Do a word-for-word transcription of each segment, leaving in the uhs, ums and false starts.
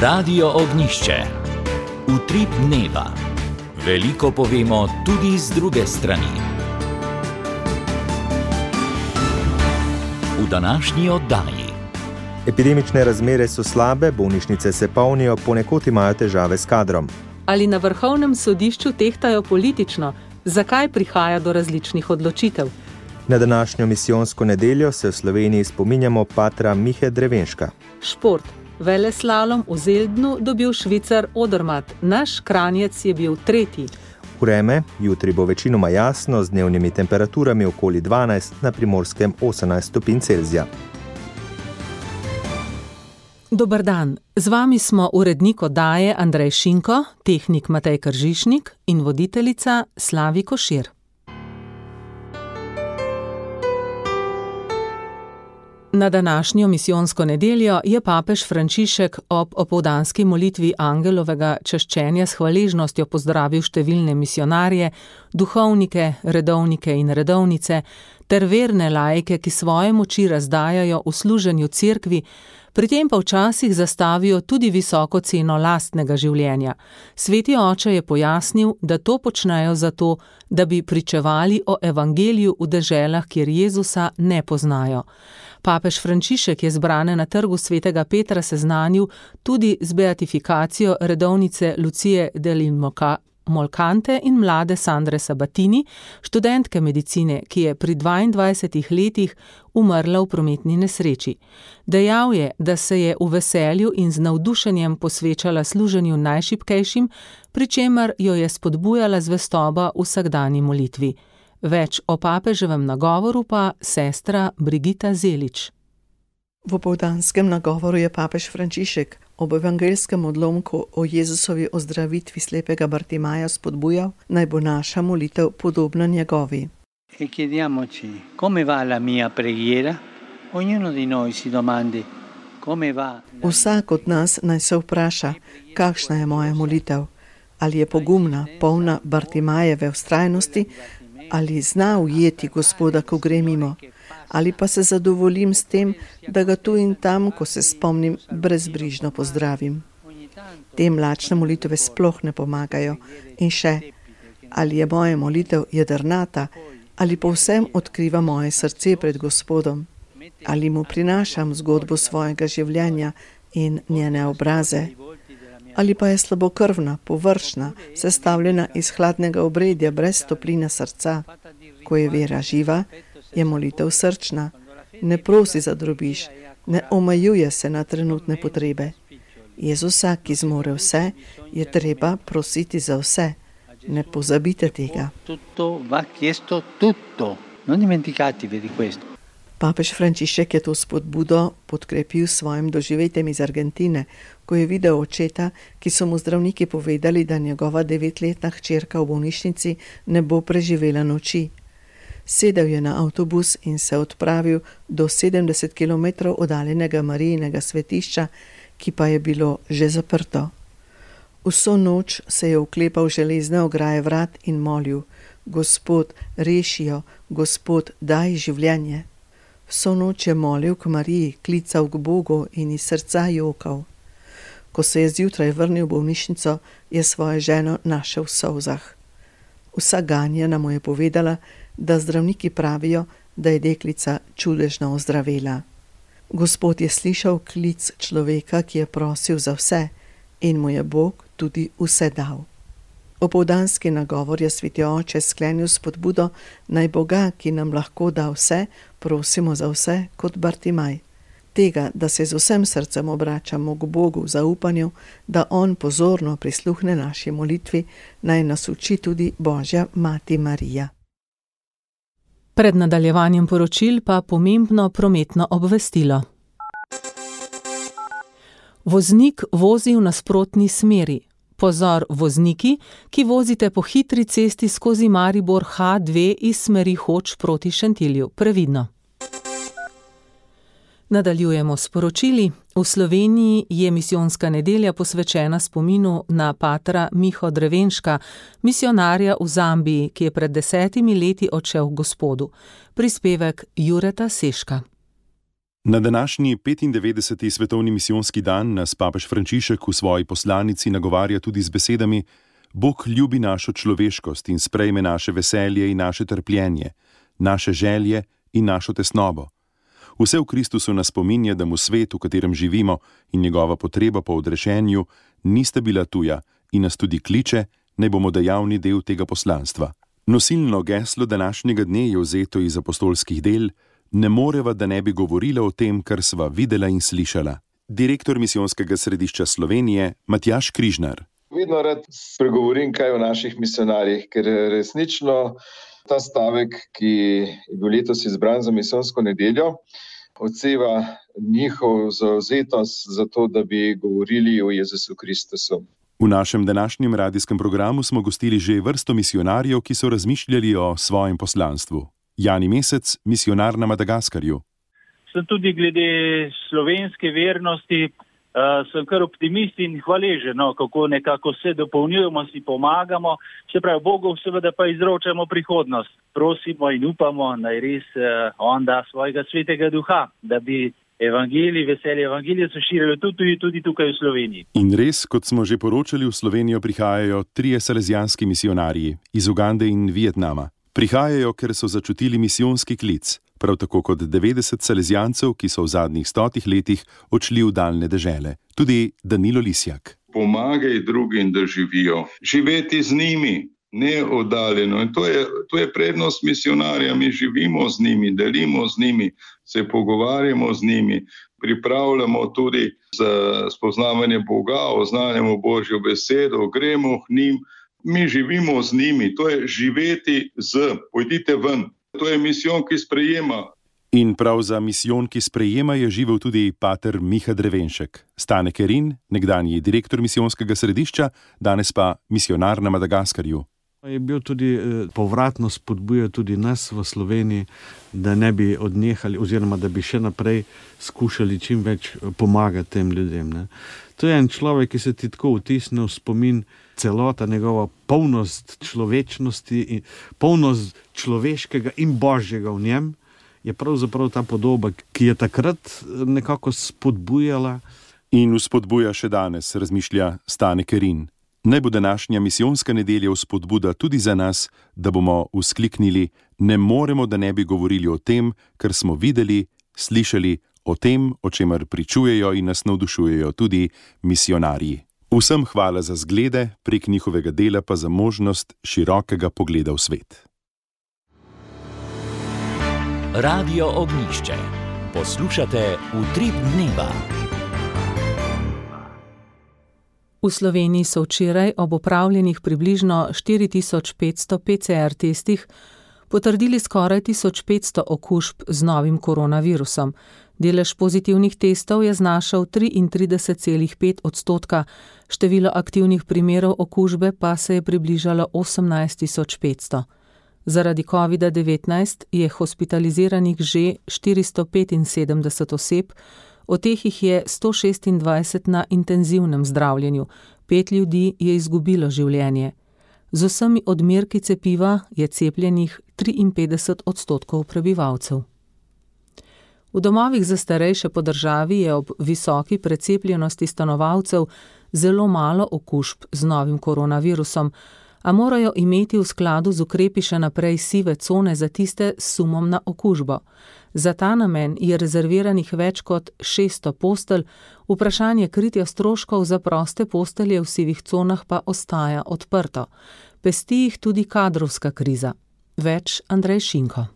Radio Ognjišče. Utrip dneva. Veliko povemo tudi z druge strani. V današnji oddaji. Epidemične razmere so slabe, bolnišnice se polnijo, ponekod imajo težave s kadrom. Ali na vrhovnem sodišču tehtajo politično? Zakaj prihaja do različnih odločitev? Na današnjo misijonsko nedeljo se v Sloveniji spominjamo patra Mihe Drevenška. Šport. Veleslalom v Zeldnu dobil Švicar Odermatt. Naš Kranjec je bil tretji. Vreme, jutri bo večinoma jasno z dnevnimi temperaturami okoli dvanajst, na Primorskem osemnajst stopinj Celzija. Dober dan, z vami smo urednik oddaje Andrej Šinko, tehnik Matej Kržišnik in voditeljica Slavi Košir. Na današnjo misijonsko nedeljo je papež Frančišek ob opoldanski molitvi angelovega čaščenja s hvaležnostjo pozdravil številne misionarje, duhovnike, redovnike in redovnice ter verne laike, ki svoje moči razdajajo v služenju cerkvi, pri tem pa včasih zastavijo tudi visoko ceno lastnega življenja. Sveti oče je pojasnil, da to počnejo zato, da bi pričevali o evangeliju v deželah, kjer Jezusa ne poznajo. Papež Frančišek je zbrane na trgu svetega Petra seznanil tudi z beatifikacijo redovnice Lucije Dell'Immolcante in mlade Sandre Sabatini, študentke medicine, ki je pri dvaindvajsetih letih umrla v prometni nesreči. Dejal je, da se je v veselju in z navdušenjem posvečala služenju najšibkejšim, pri čemer jo je spodbujala zvestoba v vsakdanji molitvi. Več o papeževem nagovoru pa sestra Brigita Zelič. V opoldanskem nagovoru je papež Frančišek ob evangelskem odlomku o Jezusovi ozdravitvi slepega Bartimaja spodbujal, naj bo naša molitev podobna njegovi. E chiediamoci, come va la mia preghiera? Ognuno di noi si domandi, come va? Vsak od nas naj se vpraša, kakšna je moja molitev? Ali je pogumna, polna Bartimajeve vztrajnosti, ali zna ujeti Gospoda, ko gre mimo, ali pa se zadovoljim s tem, da ga tu in tam, ko se spomnim, brezbrižno pozdravim. Te mlačne molitve sploh ne pomagajo. In še, ali je moja molitev jedrnata, ali povsem odkriva moje srce pred Gospodom, ali mu prinašam zgodbo svojega življenja in njene obraze, ali pa je slabokrvna, površna, sestavljena iz hladnega obredja brez topline srca. Ko je vera živa, je molitev srčna, ne prosi za drobiž, ne omejuje se na trenutne potrebe. Jezusa, ki zmore vse, je treba prositi za vse. Ne pozabite tega. Tutto va chiesto tutto. Non dimenticatevi di questo. Papež Frančišek je to spodbudo podkrepil s svojim doživetjem iz Argentine, ko je videl očeta, ki so mu zdravniki povedali, da njegova devetletna hčerka v bolnišnici ne bo preživela noči. Sedel je na avtobus in se odpravil do sedemdeset kilometrov oddaljenega Marijinega svetišča, ki pa je bilo že zaprto. Vso noč se je oklepal železne ograje vrat in molil: Gospod, reši jo, Gospod, daj življenje. Vso noč je molil k Mariji, klical k Bogu in iz srca jokal. Ko se je zjutraj vrnil v bolnišnico, je svojo ženo našel v solzah. Vsa ganjena mu je povedala, da zdravniki pravijo, da je deklica čudežno ozdravela. Gospod je slišal klic človeka, ki je prosil za vse, in mu je Bog tudi vse dal. Opoldanski nagovor je sveti oče sklenil spodbudo, naj Boga, ki nam lahko da vse, prosimo za vse kot Bartimaj. Tega, da se z vsem srcem obračamo k Bogu v zaupanju, da On pozorno prisluhne naši molitvi, naj nas uči tudi Božja mati Marija. Pred nadaljevanjem poročil pa pomembno prometno obvestilo. Voznik vozi v nasprotni smeri. Pozor vozniki, ki vozite po hitri cesti skozi Maribor H dve iz smeri Hoč proti Šentilju. Previdno. Nadaljujemo s poročili. V Sloveniji je misijonska nedelja posvečena spominu na patra Miho Drevenška, misionarja v Zambiji, ki je pred desetimi leti odšel k Gospodu. Prispevek Jureta Seška. Na današnji petindevetdeseti svetovni misijonski dan nas papež Frančišek v svoji poslanici nagovarja tudi z besedami: Bog ljubi našo človeškost in sprejme naše veselje in naše trpljenje, naše želje in našo tesnobo. Vse v Kristusu nas spominja, da mu svet, v katerem živimo, in njegova potreba po odrešenju nista bila tuja in nas tudi kliče, naj bomo dejavni del tega poslanstva. Nosilno geslo današnjega dne je vzeto iz apostolskih del: Ne moreva, da ne bi govorila o tem, kar sva videla in slišala. Direktor misijonskega središča Slovenije, Matjaž Križnar. Vedno rad spregovorim kaj o naših misionarjih, ker resnično ta stavek, ki je bil letos izbran za misijonsko nedeljo, odseva njihov zavzetost za to, da bi govorili o Jezusu Kristusu. V našem današnjem radijskem programu smo gostili že vrsto misionarjev, ki so razmišljali o svojem poslanstvu. Jani Mesec, misionar na Madagaskarju. Sem tudi glede slovenske vernosti, uh, sem kar optimist in hvaležen, no, kako nekako se dopolnjujemo, si pomagamo, se pravi Bogu seveda pa izročamo prihodnost. Prosimo in upamo, naj res uh, on da svojega svetega duha, da bi evangelij, veselje evangelija se širilo tudi, tudi tukaj v Sloveniji. In res, kot smo že poročali, v Slovenijo prihajajo trije salezijanski misionarji iz Ugande in Vietnama. Prihajajo, ker so začutili misijonski klic, prav tako kot devetdeset salezijancev, ki so v zadnjih stotih letih odšli v daljne dežele. Tudi Danilo Lisjak. Pomagaj drugim, da živijo. Živeti z njimi, ne oddaljeno. In to je, to je prednost misionarja. Mi živimo z njimi, delimo z njimi, se pogovarjamo z njimi, pripravljamo tudi za spoznavanje Boga, oznanjamo Božjo besedo, gremo k njim. Mi živimo z njimi, to je živeti z, pojdite ven. To je misijon, ki sprejema. In prav za misijon, ki sprejema, je živel tudi pater Miha Drevenšek. Stane Kerin, nekdanji direktor misijonskega središča, danes pa misionar na Madagaskarju. Je bil tudi povratno spodbujal tudi nas v Sloveniji, da ne bi odnehali oziroma da bi še naprej skušali čim več pomagati tem ljudem. Ne. To je en človek, ki se ti tako vtisne v spomin, celota njegova polnost človečnosti in polnost človeškega in božjega v njem je pravzaprav ta podoba, ki je takrat nekako spodbujala. In vzpodbuja še danes, razmišlja Stane Kerin. Naj bo današnja misijonska nedelja vzpodbuda tudi za nas, da bomo vzkliknili: ne moremo, da ne bi govorili o tem, kar smo videli, slišali, o tem, o čemer pričujejo in nas navdušujejo tudi misionarji. Vsem hvala za zglede, prek njihovega dela pa za možnost širokega pogleda v svet. Radio Ognjišče. Poslušate Utrip dneva. V Sloveniji so včeraj ob opravljenih približno štiri tisoč petsto P C R testih potrdili skoraj tisoč petsto okužb z novim koronavirusom. Delež pozitivnih testov je znašal triintrideset celih pet odstotka, število aktivnih primerov okužbe pa se je približalo osemnajst tisoč petsto. Zaradi covida devetnajst je hospitaliziranih že štiristo petinsedemdeset oseb, od teh jih je sto šestindvajset na intenzivnem zdravljenju, pet ljudi je izgubilo življenje. Z vsemi odmerki cepiva je cepljenih triinpetdeset odstotkov prebivalcev. V domovih za starejše po državi je ob visoki precepljenosti stanovalcev zelo malo okužb z novim koronavirusom, a morajo imeti v skladu z ukrepi še naprej sive cone za tiste s sumom na okužbo. Za ta namen je rezerviranih več kot šeststo postelj, vprašanje kritja stroškov za proste postelje v sivih conah pa ostaja odprto. Pesti jih tudi kadrovska kriza. Več Andrej Šinko.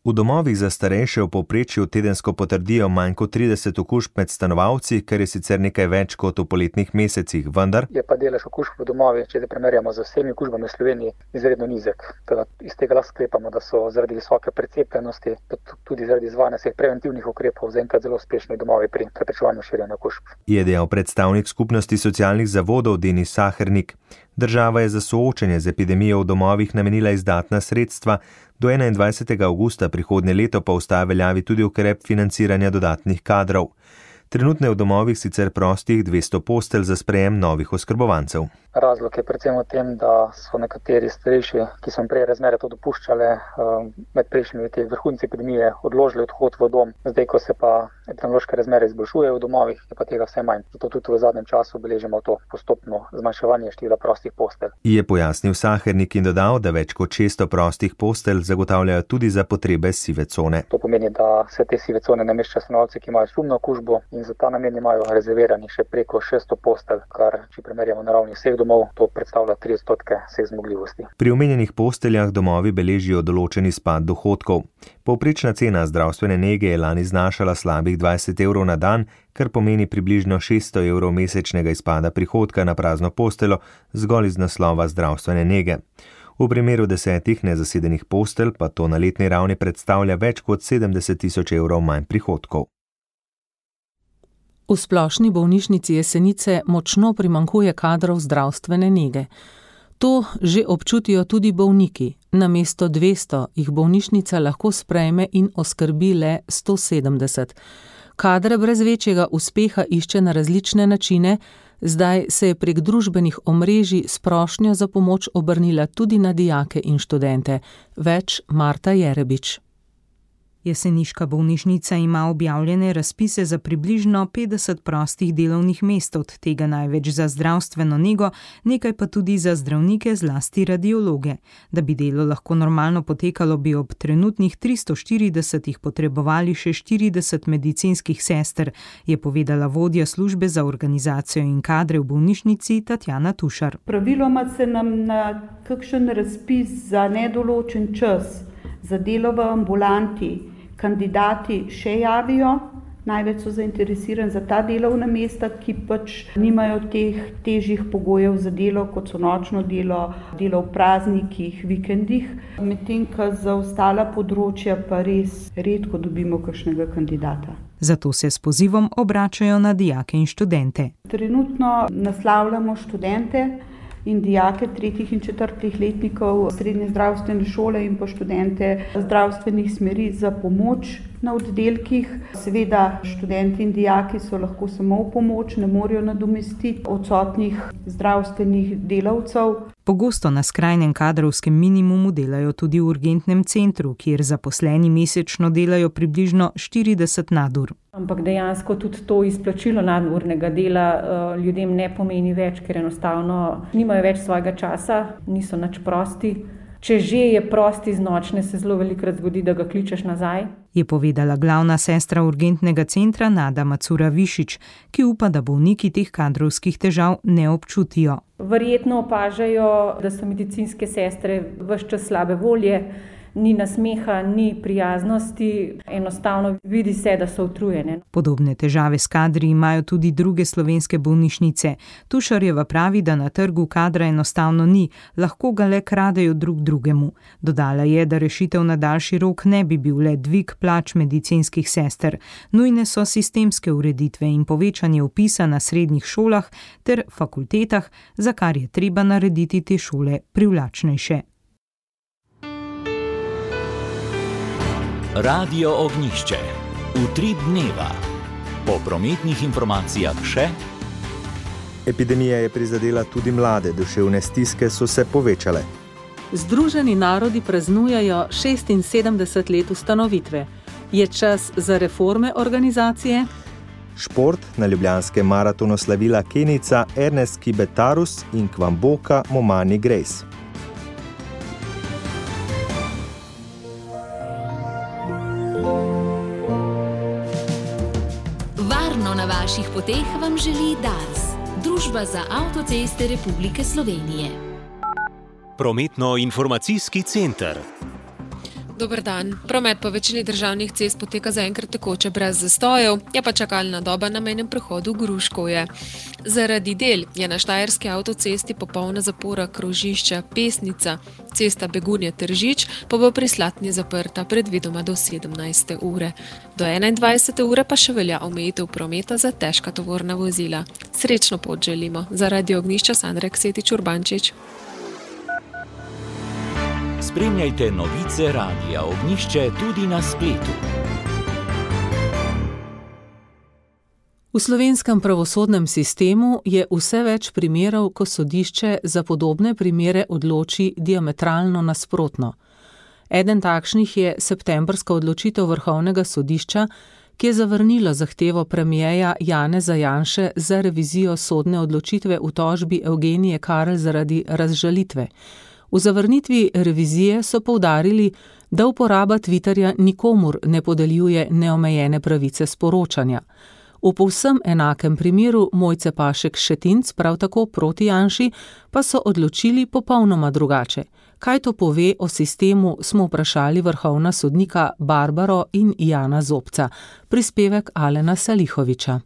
V domovih za starejše v povprečju tedensko potrdijo manj kot trideset okužb med stanovalci, kar je sicer nekaj več kot v poletnih mesecih, vendar je pa delež okužb v domovih, če se primerjamo z vsemi okužbami v Sloveniji, izredno nizek. Teda iz tega lahko sklepamo, da so zaradi visoke precepljenosti, tudi zaradi izvajanja vseh preventivnih ukrepov zaenkrat zelo uspešni domovi pri preprečevanju širjenja okužb. Je dejal predstavnik skupnosti socialnih zavodov Denis Sahernik. Država je za soočenje z epidemijo v domovih namenila izdatna sredstva, do enaindvajsetega avgusta prihodnje leto pa ostaja veljavi tudi ukrep financiranja dodatnih kadrov. Trenutno je v domovih sicer prostih dvesto postelj za sprejem novih oskrbovancev. Razlog je predvsem v tem, da so nekateri starejši, ki so prej razmere to dopuščale, med prejšnjimi leti vrhunci epidemije odložili odhod v dom. Zdaj, ko se pa epidemiološke razmere izboljšujejo v domovih, je pa tega vse manj. Zato tudi v zadnjem času beležimo to postopno zmanjševanje števila prostih postelj. Je pojasnil Sahernik in dodal, da več kot šeststo prostih postelj zagotavljajo tudi za potrebe sive cone. To pomeni, da se te sive cone nameščajo stanovalci, ki imajo sumno okužbo in za ta namen imajo rezervirani še preko šeststo postelj, kar, če primerjamo na ravni vseh domov, to predstavlja tri odstotke vseh zmogljivosti. Pri omenjenih posteljah domovi beležijo določeni spad dohodkov. Povprečna cena zdravstvene nege je lani znašala slabih dvajset evrov na dan, kar pomeni približno šeststo evrov mesečnega izpada prihodka na prazno posteljo zgolj iz naslova zdravstvene nege. V primeru desetih nezasedenih postelj pa to na letni ravni predstavlja več kot sedemdeset tisoč evrov manj prihodkov. V splošni bolnišnici Jesenice močno primanjkuje kadrov zdravstvene nege. To že občutijo tudi bolniki. Namesto dvesto jih bolnišnica lahko sprejme in oskrbi le sto sedemdeset. Kadre brez večjega uspeha išče na različne načine, zdaj se je prek družbenih omrežij s prošnjo za pomoč obrnila tudi na dijake in študente. Več Marta Jerebič. Jeseniška bolnišnica ima objavljene razpise za približno petdeset prostih delovnih mest, od tega največ za zdravstveno nego, nekaj pa tudi za zdravnike, zlasti radiologe. Da bi delo lahko normalno potekalo, bi ob trenutnih tristo štiridesetih potrebovali še štirideset medicinskih sester, je povedala vodja službe za organizacijo in kadre v bolnišnici Tatjana Tušar. Praviloma se nam na kakšen razpis za nedoločen čas za delo v ambulanti kandidati še javijo. Največ so zainteresirani za ta delovna mesta, ki pač nimajo teh težjih pogojev za delo, kot so nočno delo, delo v praznikih, vikendih. Medtem, ko za ostala področja pa res redko dobimo kakšnega kandidata. Zato se s pozivom obračajo na dijake in študente. Trenutno naslavljamo študente in dijake tretjih in četrtih letnikov srednje zdravstvene šole in pa študente zdravstvenih smeri za pomoč na oddelkih. Seveda študenti in dijaki so lahko samo v pomoč, ne morejo nadomestiti odsotnih zdravstvenih delavcev. Pogosto na skrajnem kadrovskem minimumu delajo tudi v urgentnem centru, kjer zaposleni mesečno delajo približno štirideset nadur. Ampak dejansko tudi to izplačilo nadurnega dela ljudem ne pomeni več, ker enostavno nimajo več svojega časa, niso nič prosti. Če že je prosti z nočne, se zelo velikokrat zgodi, da ga kličeš nazaj. Je povedala glavna sestra urgentnega centra Nada Macura Višič, ki upa, da bolniki teh kadrovskih težav ne občutijo. Verjetno opažajo, da so medicinske sestre ves čas slabe volje, ni nasmeha, ni prijaznosti, enostavno vidi se, da so utrujene. Podobne težave s kadri imajo tudi druge slovenske bolnišnice. Tušarjeva pravi, da na trgu kadra enostavno ni, lahko ga le kradejo drug drugemu. Dodala je, da rešitev na daljši rok ne bi bil le dvig plač medicinskih sester. Nujne so sistemske ureditve in povečanje vpisa na srednjih šolah ter fakultetah, za kar je treba narediti te šole privlačnejše. Radio Ognjišče. Utrip dneva. Po prometnih informacijah še. Epidemija je prizadela tudi mlade, duševne stiske so se povečale. Združeni narodi praznujejo šestinsedemdeset let ustanovitve. Je čas za reforme organizacije? Šport, na ljubljanskem maratonu slavila Kenijca Ernest Kibetarus in Kwamboka Momani Grace. Na vaših poteh vam želi Dars, Družba za avtoceste Republike Slovenije. Prometno-informacijski center. Dober dan. Promet po večini državnih cest poteka zaenkrat tekoče brez zastojev, je pa čakalna doba na mejnem prehodu Gruškovje. Zaradi del je na štajerski avtocesti popolna zapora krožišča Pesnica, cesta Begunje-Tržič pa bo pri Slatni zaprta predvidoma do sedemnajste ure. Do enaindvajsete ure pa še velja omejitev prometa za težka tovorna vozila. Srečno pot želimo. Za Radio Ognjišče Sandra Ksetič Urbančič. Spremljajte novice Radia Ognjišče tudi na spletu. V slovenskem pravosodnem sistemu je vse več primerov, ko sodišče za podobne primere odloči diametralno nasprotno. Eden takšnih je septembrska odločitev Vrhovnega sodišča, ki je zavrnilo zahtevo premierja Janeza Janše za revizijo sodne odločitve v tožbi Evgenije Karl zaradi razžalitve. V zavrnitvi revizije so poudarili, da uporaba Twitterja nikomur ne podeljuje neomejene pravice sporočanja. V povsem enakem primeru Mojce Pašek Šetinc, prav tako proti Janši, pa so odločili popolnoma drugače. Kaj to pove o sistemu, smo vprašali vrhovna sodnika Barbaro in Jana Zobca. Prispevek Alena Salihoviča.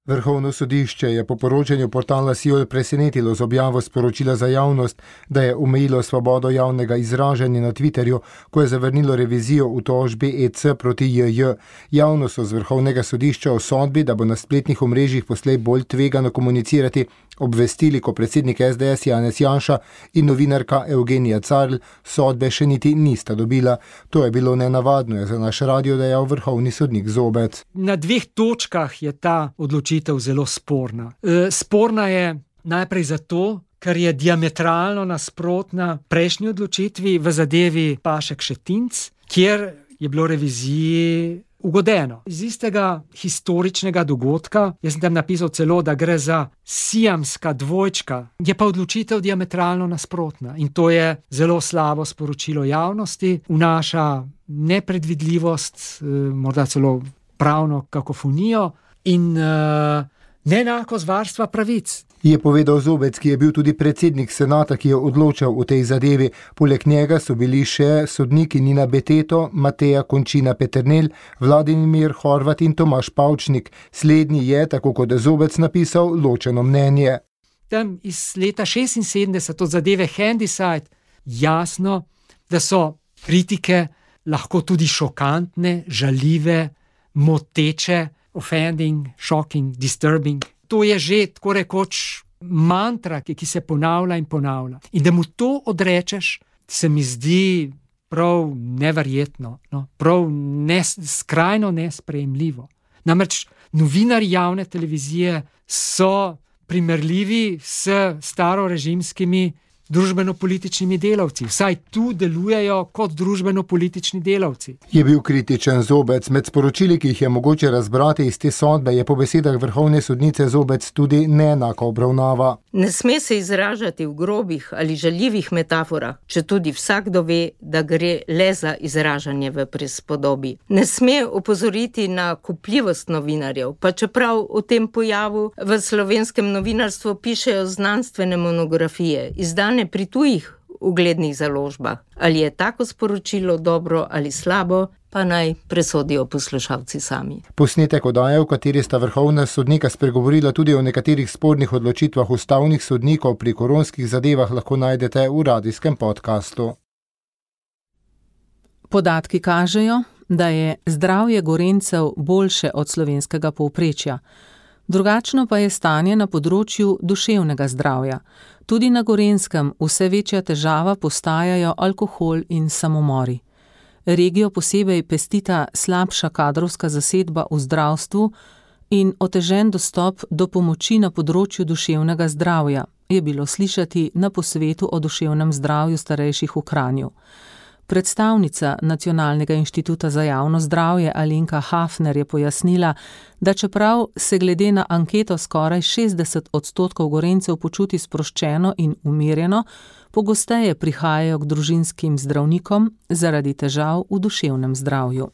Vrhovno sodišče je po poročanju portala Siol presenetilo z objavo sporočila za javnost, da je omejilo svobodo javnega izražanja na Twitterju, ko je zavrnilo revizijo v tožbi E C proti J J. Javnost so z Vrhovnega sodišča o sodbi, da bo na spletnih omrežjih poslej bolj tvegano komunicirati, obvestili, ko predsednik S D S Janez Janša in novinarka Evgenija Carl sodbe še niti nista dobila. To je bilo nenavadno, je za naš radio dejal vrhovni sodnik Zobec. Na dveh točkah je ta odločitev zelo sporna. E, sporna je najprej zato, ker je diametralno nasprotna prejšnji odločitvi v zadevi Pašek Šetinc, kjer je bilo reviziji ugodeno. Iz istega historičnega dogodka, jaz sem tam napisal celo, da gre za siamska dvojčka, je pa odločitev diametralno nasprotna in to je zelo slabo sporočilo javnosti, vnaša nepredvidljivost, morda celo pravno kakofonijo in uh, neenakost varstva pravic. Je povedal Zobec, ki je bil tudi predsednik senata, ki je odločal o tej zadevi. Poleg njega so bili še sodniki Nina Beteto, Mateja Končina Peternelj, Vladimir Horvat in Tomaž Pavčnik. Slednji je, tako kot je Zobec napisal, ločeno mnenje. Tam iz leta šestinsedemdeset od zadeve Handyside jasno, da so kritike lahko tudi šokantne, žaljive, moteče, offending, shocking, disturbing. To je že tako rekoč mantra, ki, ki se ponavlja in ponavlja. In da mu to odrečeš, se mi zdi prav neverjetno, no? prav nes, skrajno nesprejemljivo. Namreč novinarji javne televizije so primerljivi s starorežimskimi družbeno-političnimi delavci. Vsaj tu delujejo kot družbeno-politični delavci. Je bil kritičen Zobec. Med sporočili, ki jih je mogoče razbrati iz te sodbe, je po besedah vrhovne sodnice Zobec tudi neenaka obravnava. Ne sme se izražati v grobih ali žaljivih metaforah, če tudi vsakdo ve, da gre le za izražanje v prispodobi. Ne sme opozoriti na kupljivost novinarjev, pa čeprav o tem pojavu v slovenskem novinarstvu pišejo znanstvene monografije, izdane pri tujih uglednih založbah. Ali je tako sporočilo dobro ali slabo, pa naj presodijo poslušalci sami. Posnetek oddaje, v kateri sta vrhovna sodnika spregovorila tudi o nekaterih spornih odločitvah ustavnih sodnikov pri koronskih zadevah, lahko najdete v radijskem podkastu. Podatki kažejo, da je zdravje Gorenjcev boljše od slovenskega povprečja. Drugačno pa je stanje na področju duševnega zdravja. Tudi na Gorenjskem vse večja težava postajajo alkohol in samomori. Regijo posebej pestita slabša kadrovska zasedba v zdravstvu in otežen dostop do pomoči na področju duševnega zdravja, je bilo slišati na posvetu o duševnem zdravju starejših v Kranju. Predstavnica Nacionalnega inštituta za javno zdravje Alenka Hafner je pojasnila, da čeprav se glede na anketo skoraj šestdeset odstotkov Gorenjcev počuti sproščeno in umirjeno, pogosteje prihajajo k družinskim zdravnikom zaradi težav v duševnem zdravju.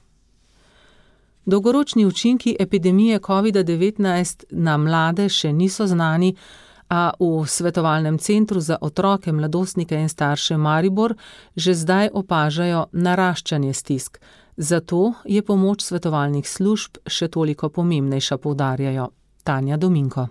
Dolgoročni učinki epidemije covid devetnajst na mlade še niso znani, a v Svetovalnem centru za otroke, mladostnike in starše Maribor že zdaj opažajo naraščanje stisk. Zato je pomoč svetovalnih služb še toliko pomembnejša, poudarjajo. Tanja Dominko.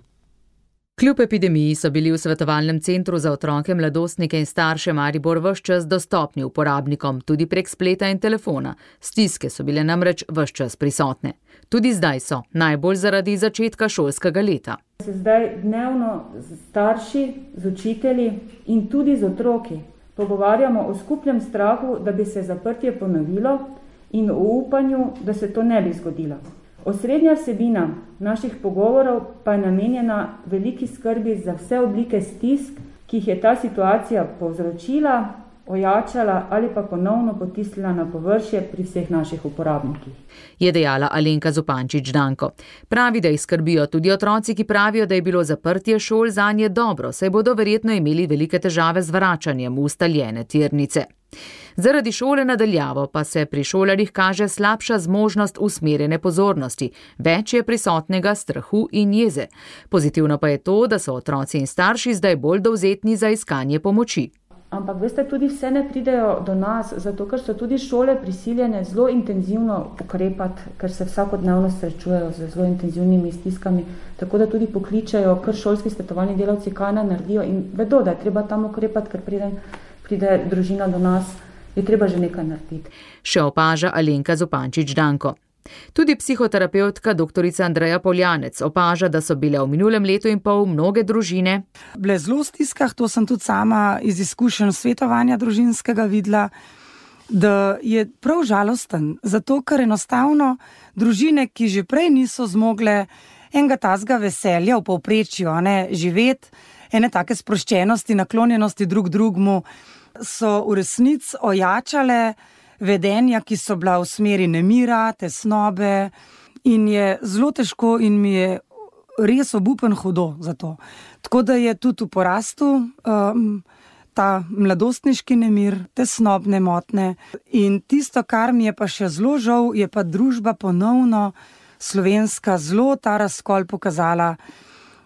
Kljub epidemiji so bili v Svetovalnem centru za otroke, mladostnike in starše Maribor ves čas dostopni uporabnikom, tudi prek spleta in telefona. Stiske so bile namreč ves čas prisotne. Tudi zdaj so, najbolj zaradi začetka šolskega leta. Se zdaj dnevno z starši, z učitelji in tudi z otroki pogovarjamo o skupnem strahu, da bi se zaprtje ponovilo in o upanju, da se to ne bi zgodilo. Osrednja vsebina naših pogovorov pa je namenjena veliki skrbi za vse oblike stisk, ki jih je ta situacija povzročila, ojačala ali pa ponovno potisnila na površje pri vseh naših uporabnikih. Je dejala Alenka Zupančič Danko. Pravi, da jih skrbijo tudi otroci, ki pravijo, da je bilo zaprtje šol zanje dobro, saj bodo verjetno imeli velike težave z vračanjem v ustaljene tirnice. Zaradi šole nadaljavo pa se pri šolarjih kaže slabša zmožnost usmerjene pozornosti, več je prisotnega strahu in jeze. Pozitivno pa je to, da so otroci in starši zdaj bolj dovzetni za iskanje pomoči. Ampak veste, tudi vse ne pridejo do nas, zato ker so tudi šole prisiljene zelo intenzivno ukrepati, ker se vsakodnevno srečujejo z zelo intenzivnimi stiskami, tako da tudi pokličajo kar šolski svetovalni delavci, kaj naj naredijo in vedo, da je treba tam ukrepati, ker pride, pride družina do nas, je treba že nekaj narediti. Še opaža Alenka Zupančič Danko. Tudi psihoterapeutka doktorica Andreja Poljanec opaža, da so bile v minulem letu in pol mnoge družine bile zelo v stiskah, to sem tudi sama iz izkušenj svetovanja družinskega videla, da je prav žalosten, zato ker enostavno družine, ki že prej niso zmogle enega tazga veselja v povprečju, ne, živeti, ene take sproščenosti, naklonjenosti drug drugmu, so v resnici ojačale vedenja, ki so bila v smeri nemira, tesnobe in je zelo težko in mi je res obupen hudo za to. Tako da je tudi v porastu um, ta mladostniški nemir, tesnobne motne in tisto, kar mi je pa še zelo žal, je pa družba ponovno slovenska zelo ta razkol pokazala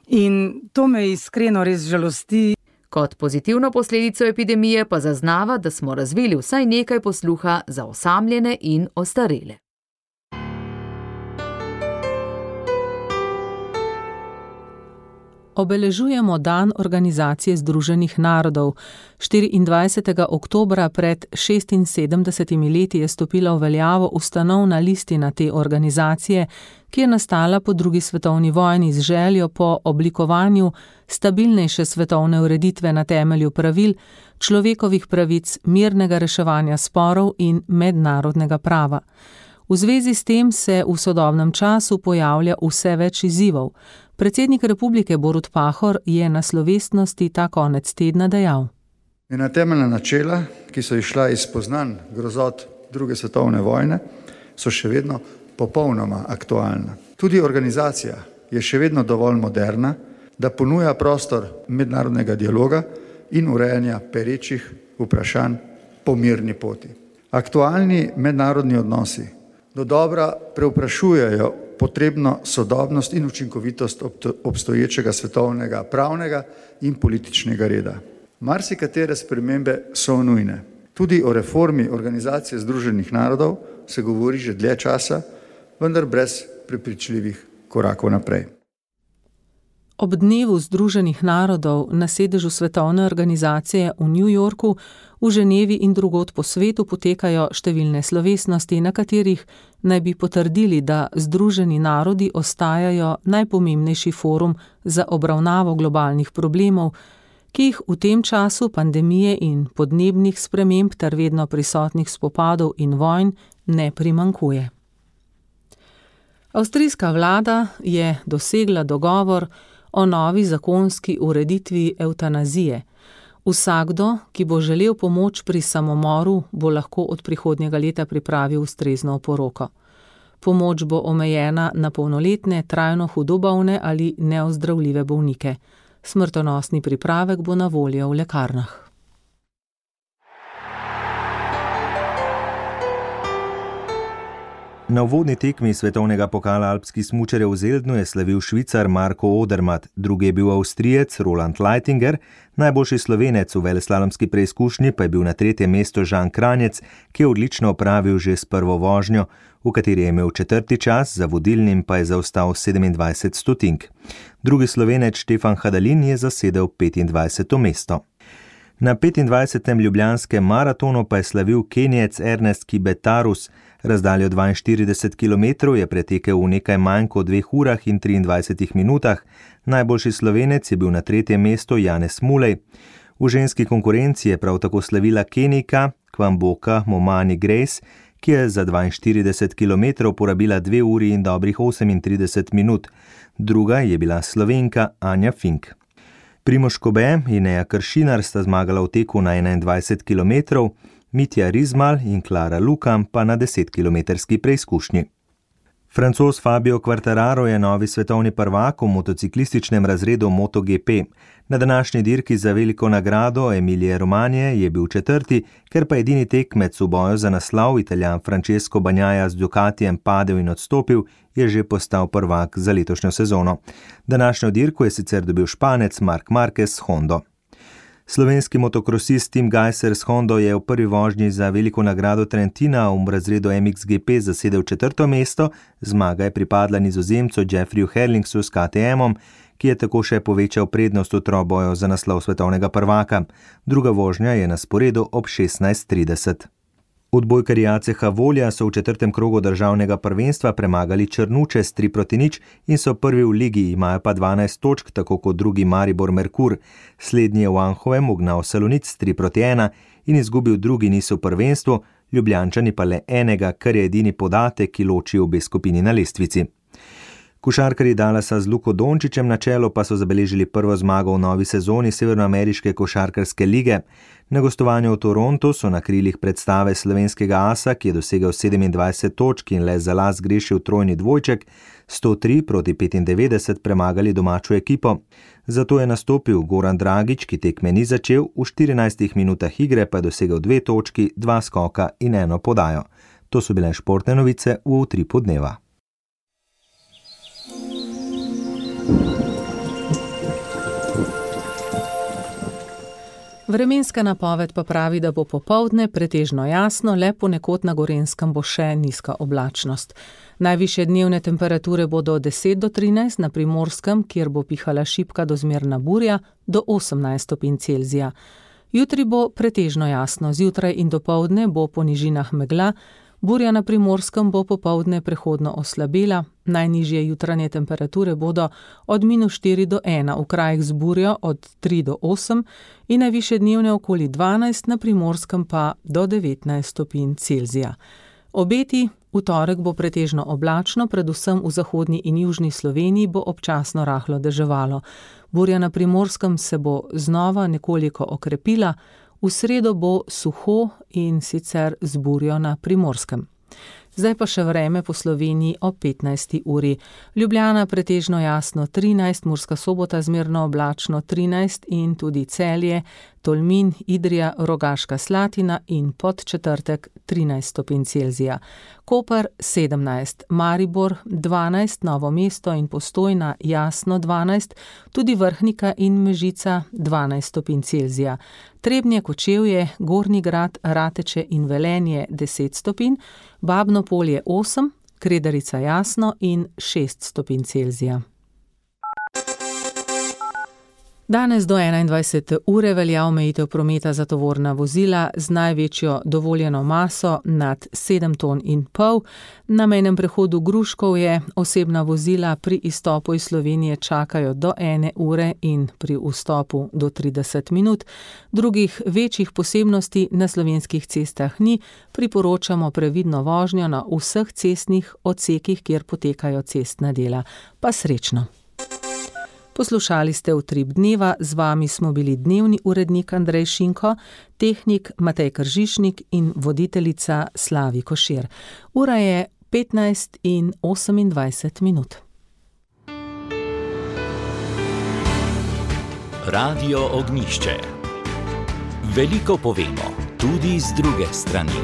in to me iskreno res žalosti. Kot pozitivno posledico epidemije pa zaznava, da smo razvili vsaj nekaj posluha za osamljene in ostarele. Obeležujemo dan Organizacije združenih narodov. štiriindvajsetega oktobra pred šestinsedemdesetimi leti je stopila v veljavo ustanovna listina te organizacije, ki je nastala po drugi svetovni vojni z željo po oblikovanju stabilnejše svetovne ureditve na temelju pravil, človekovih pravic, mirnega reševanja sporov in mednarodnega prava. V zvezi s tem se v sodobnem času pojavlja vse več izzivov. Predsednik republike Borut Pahor je na slovesnosti ta konec tedna dejal. Ena temeljna načela, ki so išla iz spoznanj grozot druge svetovne vojne, so še vedno popolnoma aktualna. Tudi organizacija je še vedno dovolj moderna, da ponuja prostor mednarodnega dialoga in urejanja perečih vprašanj po mirni poti. Aktualni mednarodni odnosi do dobra preuprašujejo potrebno sodobnost in učinkovitost obstoječega svetovnega pravnega in političnega reda. Marsikatere spremembe so nujne. Tudi o reformi Organizacije združenih narodov se govori že dlje časa, vendar brez prepričljivih korakov naprej. Ob dnevu Združenih narodov na sedežu Svetovne organizacije v New Yorku, v Ženevi in drugod po svetu potekajo številne slovesnosti, na katerih naj bi potrdili, da Združeni narodi ostajajo najpomembnejši forum za obravnavo globalnih problemov, ki jih v tem času pandemije in podnebnih sprememb ter vedno prisotnih spopadov in vojn ne primanjkuje. Avstrijska vlada je dosegla dogovor o novi zakonski ureditvi evtanazije. Vsakdo, ki bo želel pomoč pri samomoru, bo lahko od prihodnjega leta pripravil ustrezno oporoko. Pomoč bo omejena na polnoletne, trajno hudo bolne ali neozdravljive bolnike. Smrtonosni pripravek bo na voljo v lekarnah. Na uvodni tekmi svetovnega pokala alpskih smučarjev v Zeldnu je slavil Švicar Marko Odermatt, drugi je bil Avstrijec Roland Leitinger, najboljši Slovenec v veleslalomski preizkušnji pa je bil na tretjem mestu Žan Kranjec, ki je odlično opravil že s prvo vožnjo, v kateri je imel četrti čas, za vodilnim pa je zaostal sedemindvajset stotink. Drugi Slovenec Štefan Hadalin je zasedel petindvajseto mesto. Na petindvajsetem ljubljanskem maratonu pa je slavil Kenijec Ernest Kibetarus. Razdaljo dvainštirideset kilometrov je pretekel v nekaj manj kot dveh urah in triindvajsetih minutah. Najboljši Slovenec je bil na tretjem mestu Janez Mulej. V ženski konkurenci je prav tako slavila Kenijka Kwamboka Momani Grace, ki je za dvainštirideset kilometrov porabila dve uri in dobrih osemintrideset minut. Druga je bila Slovenka Anja Fink. Primož Kobe in Neja Kršinar sta zmagala v teku na enaindvajset kilometrov, Mitja Rizmal in Klara Lukam pa na desetkilometrski preizkušnji. Francoz Fabio Quartararo je novi svetovni prvak v motociklističnem razredu MotoGP. Na današnji dirki za veliko nagrado Emilije Romanje je bil četrti, ker pa edini tekmec v boju za naslov, Italijan Francesco Bagnaia z Ducatijem padel in odstopil, je že postal prvak za letošnjo sezono. Današnjo dirko je sicer dobil Španec Marc Marquez s Hondo. Slovenski motokrosist Tim Gajser s Hondo je v prvi vožnji za veliko nagrado Trentina v razredu M X G P zasedel četrto mesto, zmaga je pripadla Nizozemcu Jeffreyju Herlingsu s K T M-om, ki je tako še povečal prednost v troboju za naslov svetovnega prvaka. Druga vožnja je na sporedu ob šestnajst trideset. Odbojkarji A C H Volja so v četrtem krogu državnega prvenstva premagali Črnuče s tri proti nič in so prvi v ligi, imajo pa dvanajst točk, tako kot drugi Maribor Merkur. Slednji je v Anhovem ugnal Salonic s tri proti ena in izgubil drugi niz v prvenstvu, Ljubljančani pa le enega, kar je edini podatek, ki loči obe skupini na lestvici. Košarkarji Dallasa z Luko Dončićem na čelu pa so zabeležili prvo zmago v novi sezoni Severnoameriške košarkarske lige. Na gostovanju v Torontu so na krilih predstave slovenskega asa, ki je dosegel sedemindvajset točk in le za las grešil trojni dvojček, sto tri proti petindevetdeset premagali domačo ekipo. Zato je nastopil Goran Dragić, ki tekme ni začel, v štirinajstih minutah igre pa je dosegel dve točki, dva skoka in eno podajo. To so bile športne novice v Utripu dneva. Vremenska napoved pa pravi, da bo popoldne pretežno jasno, le ponekod na Gorenjskem bo še nizka oblačnost. Najvišje dnevne temperature bodo od deset do trinajst, na Primorskem, kjer bo pihala šibka do zmerna burja, do osemnajst stopinj Celzija. Jutri bo pretežno jasno, zjutraj in dopoldne bo po nižinah megla, burja na Primorskem bo popoldne prehodno oslabela, najnižje jutranje temperature bodo od minus štiri do ena, v krajih z burjo od tri do osem in najvišje dnevne okoli dvanajst, na Primorskem pa do devetnajst stopinj Celzija. Obeti: v torek bo pretežno oblačno, predvsem v zahodni in južni Sloveniji bo občasno rahlo deževalo. Burja na Primorskem se bo znova nekoliko okrepila, v sredo bo suho in sicer z burjo na Primorskem. Zdaj pa še vreme po Sloveniji ob petnajsti uri. Ljubljana pretežno jasno trinajst, Murska Sobota zmerno oblačno trinajst in tudi Celje, Tolmin, Idrija, Rogaška Slatina in Podčetrtek trinajst stopinj Celzija. Koper sedemnajst, Maribor dvanajst, Novo mesto in Postojna jasno dvanajst, tudi Vrhnika in Mežica dvanajst stopinj Celzija. Trebnje, Kočevje, Gornji Grad, Rateče in Velenje deset stopinj, Babno Polje osem, Kredarica jasno in šest stopinj Celzija. Danes do enaindvajsete ure velja omejitev prometa za tovorna vozila z največjo dovoljeno maso nad sedem ton in pol. Na mejnem prehodu Gruškovje osebna vozila pri izstopu iz Slovenije čakajo do ene ure in pri vstopu do trideset minut. Drugih večjih posebnosti na slovenskih cestah ni, priporočamo previdno vožnjo na vseh cestnih odsekih, kjer potekajo cestna dela. Pa srečno! Poslušali ste Utrip dneva, z vami smo bili dnevni urednik Andrej Šinko, tehnik Matej Kržišnik in voditeljica Slavi Košir. Ura je petnajst in osemindvajset minut. Radio Ognjišče. Veliko povemo, tudi z druge strani.